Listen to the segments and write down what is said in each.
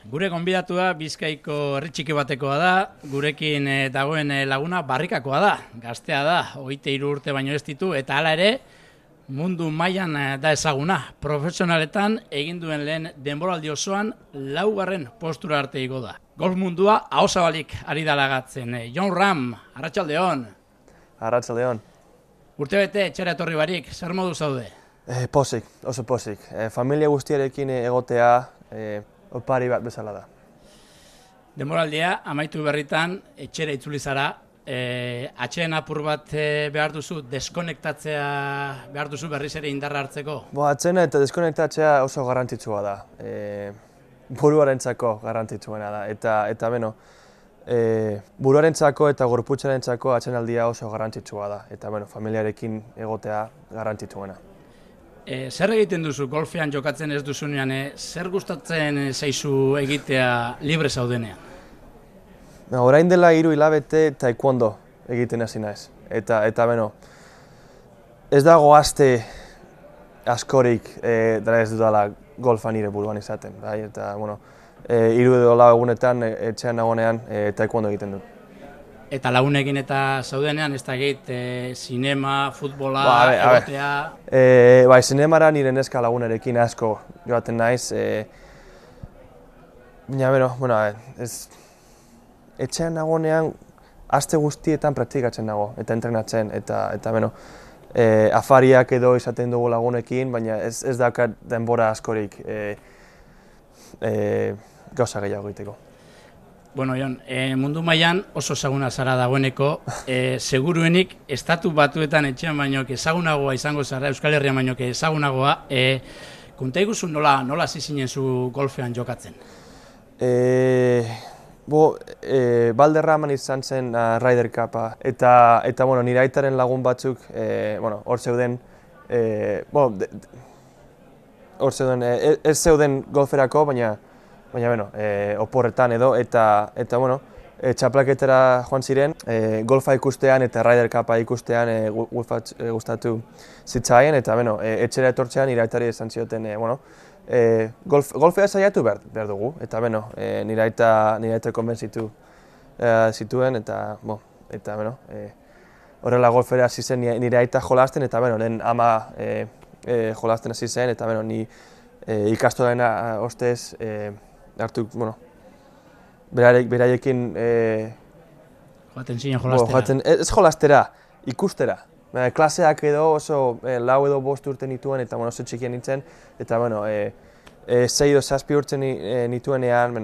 Gure gonbidatua Bizkaiko herri txiki batekoa da, gurekin dagoen laguna barrikakoa da, gaztea da, 23 urte baino ez ditu, eta hala ere mundu mailan da ezaguna. Profesionaletan egin duen lehen denboraldi osoan laugarren postura arte igo da. Golf mundua ahozabalik ari da lagatzen. Jon Rahm, arratsaldeon. Arratsaldeon. Urtebete etxera etorri barik, zer modu zaude? Pozik, oso pozik. Familia guztiarekin egotea opari bat bezala da. Denboraldia amaitu berritan etxera itzuli zara, atxeen apur bat behar duzu, deskonektatzea behar duzu berriz ere indarra hartzeko? Atxena eta deskonektatzea oso garrantzitsua da. Buruarentzako garrantzitsuena da. Eta beno, buruarentzako eta gorputzarentzako atxenaldia oso garrantzitsua da. Eta beno, familiarekin egotea garrantzitsuena. Zer egiten duzu golfean jokatzen ez duzunean, zer gustatzen zaizu egitea libre zaudenean? Orain dela 3 hilabete taekwondo egiten hasi naiz. Eta beno, ez dago aste askorik dara ez dudala golfa nire buruan izaten. Bai? Eta, 3 edo 4 egunetan etxean nagoenean taekwondo egiten dut. Eta lagunekin eta zaudenean, ez da egit, sinema, futbola, egotea... Bai, sinemara nire neska lagunerekin asko joaten naiz. Baina, etxean nagoenean aste guztietan praktikatzen nago eta entrenatzen. Eta afariak edo izaten dugu lagunekin, baina ez daukat denbora askorik gauza gehiago egiteko. Bueno, Jon, mundu mailan oso ezaguna zara dagoeneko, seguruenik estatu batuetan etxean baino ezagunagoa izango zara, Euskal Herrian baino ezagunagoa, konta iguzu nola hasi zinen zu golfean jokatzen? Valderraman izan zen Ryder Cupa, eta nire aitaren lagun batzuk hor zeuden, ez zeuden golferako, baina oporretan edo, eta txaplaketara joan ziren, golfa ikustean eta Ryder Cupa ikustean gustatu zitzaien, eta etxera etortzean nire aitari esan zioten, golfea saiatu behar dugu, eta nire aita konbentzitu zituen, eta horrela golfera hasi zen nire aita jolasten, eta lehen ama jolasten hasi zen, eta ni ikastoren ostez hartu, beraiekin... Joaten zinen jolastera? Ez jolastera, ikustera. Klaseak edo oso 4 edo 5 urte nituen, eta oso txikian nintzen, eta 6 edo 7 urte nituenean,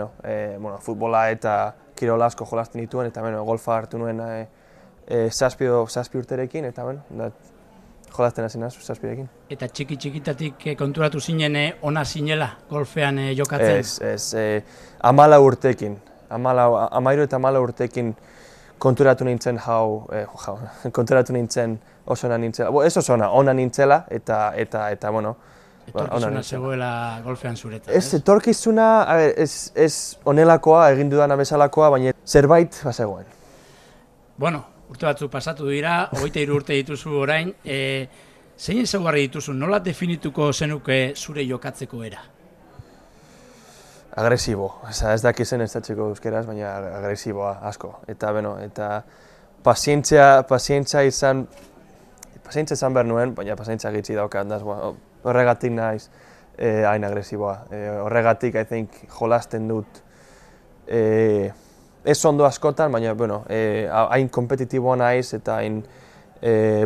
futbola eta kirola asko jolasten nituen, eta golfa hartu nuen 7 urterekin, eta jolasten hasi naiz 7rekin. Eta txikitatik konturatu zinen ona zinela golfean jokatzen? Ez, 14 urtekin. 13 eta 14 urtekin konturatu nintzen konturatu nintzen oso ona nintzela. Ez oso ona nintzela, eta etorkizuna zegoela golfean zuretan, ez? Ez, etorkizuna, ez onelakoa, egin dudana bezalakoa, baina zerbait bazegoen. Bueno, urte batzuk pasatu dira, 23 urte dituzu orain, zein ezaugarri dituzu, nola definituko zenuke zure jokatzeko era? Agresibo, ez dakizen ez datzeko euskeraz, baina agresiboa asko. Eta pazientzia izan behar nuen, baina pazientzia gitzi daukat, horregatik naiz hain agresiboa. Horregatik, I think, jolasten dut ez ondo askotan, baina hain kompetitiboa naiz eta hain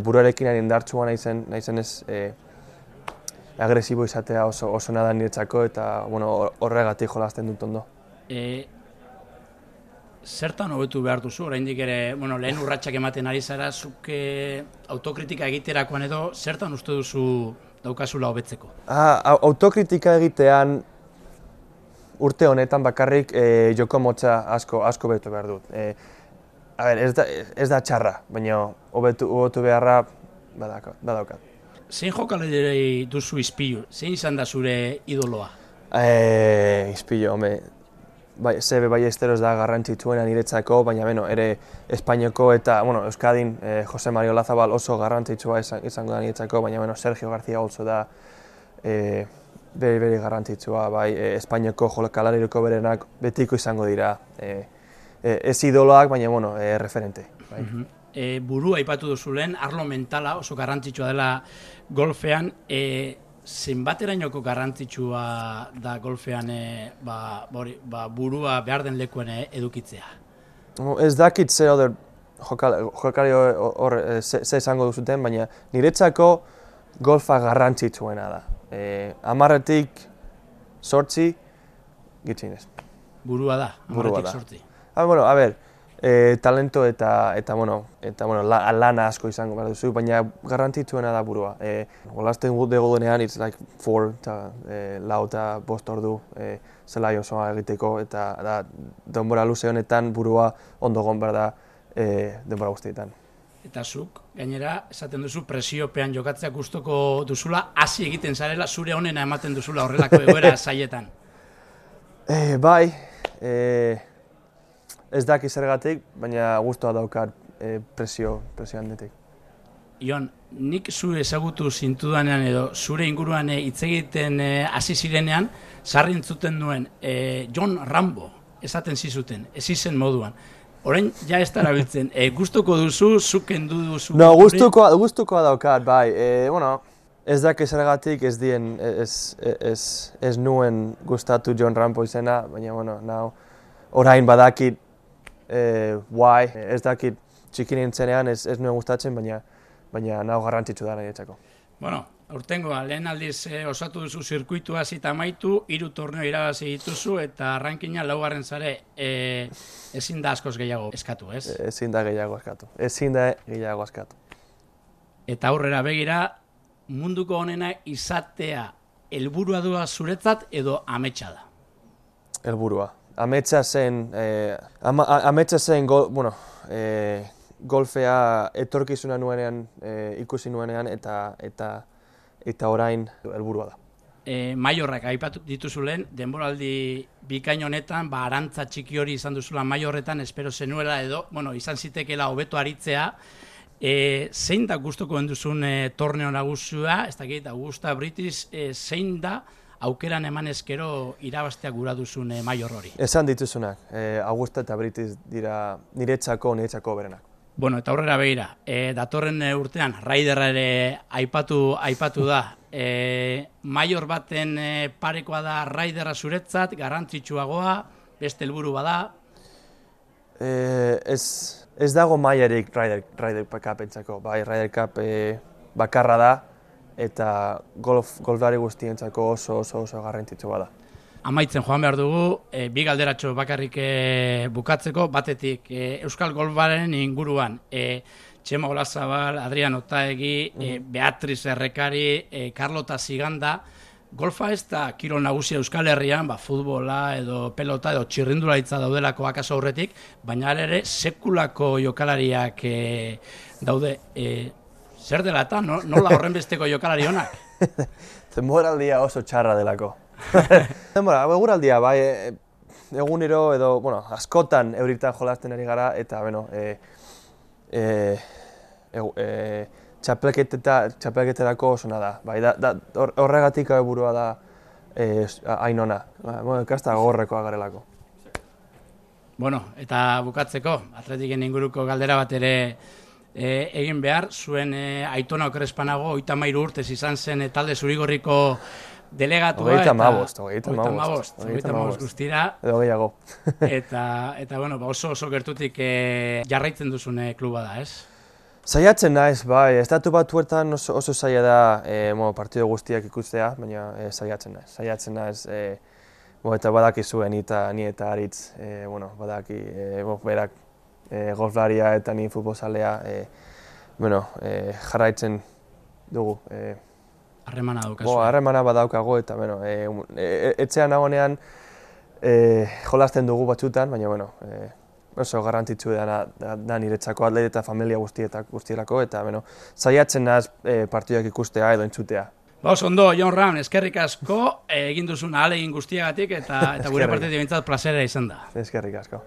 buruarekin hain indartsua naizenez agresibo izatea oso nada niretzako, eta horregatik jolasten dut ondo. Zertan hobetu behar duzu, oraindik ere lehen urratsak ematen ari zara, zuk autokritika egiterakoan edo, zertan uste duzu daukazula hobetzeko? Autokritika egitean urte honetan bakarrik joko motza asko betu behar dut. Ez da txarra, baina hobetu beharra badaukat. Zein jokalari duzu ispilu? Zein izan da zure idoloa? Ispilu, Sebe Ballesteros da garrantzitsuena niretzako, baina ere Espainiako eta Euskadin Jose Mario Olazabal oso garrantzitsua izango da niretzako, baina Sergio García Olso da bere garrantzitsua, bai, Espainiako jokalarirako berenak betiko izango dira, ez idoloak, baina, bueno, referente. Bai. Burua aipatu duzu lehen, arlo mentala oso garrantzitsua dela golfean, zenbaterainoko garrantzitsua da golfean burua behar den lekuen edukitzea? Ez dakit ze oder jokari hor ze izango duzuten, baina niretzako golfa garrantzitsuena da. 10-tik 8 gitxinez. Burua da, 10-tik 8. Bueno, a ber, talento eta lana asko izango behar duzu, baina garrantzitsuena da burua. Jolasten dugu denean, it's like 4 lau eta 5 ordu zelai osoa egiteko, eta denbora luze honetan burua ondo egon behar da denbora guztietan. Eta zuk, gainera, esaten duzu presiopean jokatzea gustoko duzula, hasi egiten zarela, zure honena ematen duzula horrelako egoera zaietan. Bai, ez daki zergatik, baina guztua daukat presio handitik. Ion, nik zu ezagutu zintudanean edo zure inguruan hitz egiten hasi zirenean, sarri entzuten nuen John Rambo esaten zizuten, ez izen moduan. Orain ja ez darabiltzen, gustuko duzu, zuk kendu duzu? No, gustukoa daukat, bai. Ez daki zergatik ez nuen gustatu John Rambo izena, baina orain badakit why, ez dakit txikin nintzenean ez nuen gustatzen, baina nahu garrantzitsu da niretzako. Bueno, aurtengoa, lehen aldiz osatu duzu zirkuitua zita amaitu, 3 torneo irabazi dituzu eta rankina 4. zare, ezin da askoz gehiago eskatu, ez? Ezin da gehiago eskatu. Eta aurrera begira, munduko honena izatea helburua du zuretzat edo ametsa da? Helburua. Ametsa zen golfea etorkizuna nuenean, ikusi nuenean eta orain helburua da. Maiorrak aipatu dituzu lehen, denboraldi bikain honetan, arantza txiki hori izan duzula Maiorretan, espero zenuela edo, izan zitekeela hobeto aritzea. Zein da gustoko duzun torneo nagusia, ez dakit, Augusta British, zein da aukeran eman ezkero irabaztea gura duzun Maior hori? Esan dituzunak, Augusta eta British dira niretzako berenak. Bueno, eta aurrera begira, datorren urtean, Raiderra ere aipatu da. Maior baten parekoa da Raiderra zuretzat, garrantzitsuagoa, beste helburu bada? Ez dago mailarik Ryder Cupentzako. Bai, Ryder Cup bakarra da eta golflari guztientzako oso garrantzitsua da. Amaitzen joan behar dugu, 2 galderatxo bakarrik bukatzeko, batetik Euskal Golfaren inguruan. Txema Olazabal, Adrian Otaegi, Beatriz Errekari, Carlota Ziganda. Golfa ez da kirol nagusia Euskal Herrian, futbola edo pelota edo txirrindularitza daudelako akaso aurretik, baina ere sekulako jokalariak daude. Zer dela eta nola horren besteko jokalari honak? Denboraldia oso txarra delako. Eguraldia, bai, egunero edo, askotan euritan jolasten ari gara, eta, txapelketerako osona da. Horregatik helburua da hainona. Kasta gogorrekoa garelako. Eta bukatzeko, Atletiken inguruko galdera bat ere egin behar, zuen Aitona Okerespanago 33 urtez izan zen talde zurigorriko delegatua. 35 guztira. Edo gehiago. Eta oso gertutik jarraitzen duzun kluba da, ez? Saiatzen naiz, bai, Estatu Batuetan oso zaila da partido guztiak ikustea, baina saiatzen naiz. Eta badakizu ni eta Aritz, badaki berak golflaria eta ni futbolzalea jarraitzen dugu. Harremana daukazu. Harremana badaukago eta etxean nagoenean jolasten dugu batzutan, baina oso garrantzitsu da niretzako atleta eta familia guztielako eta saiatzen naiz partiduak ikustea edo entzutea. Oso ondo, Jon Ram, eskerrik asko egin duzun ahalegin guztiagatik eta gure partetik behintzat plazera izan da. Eskerrik asko.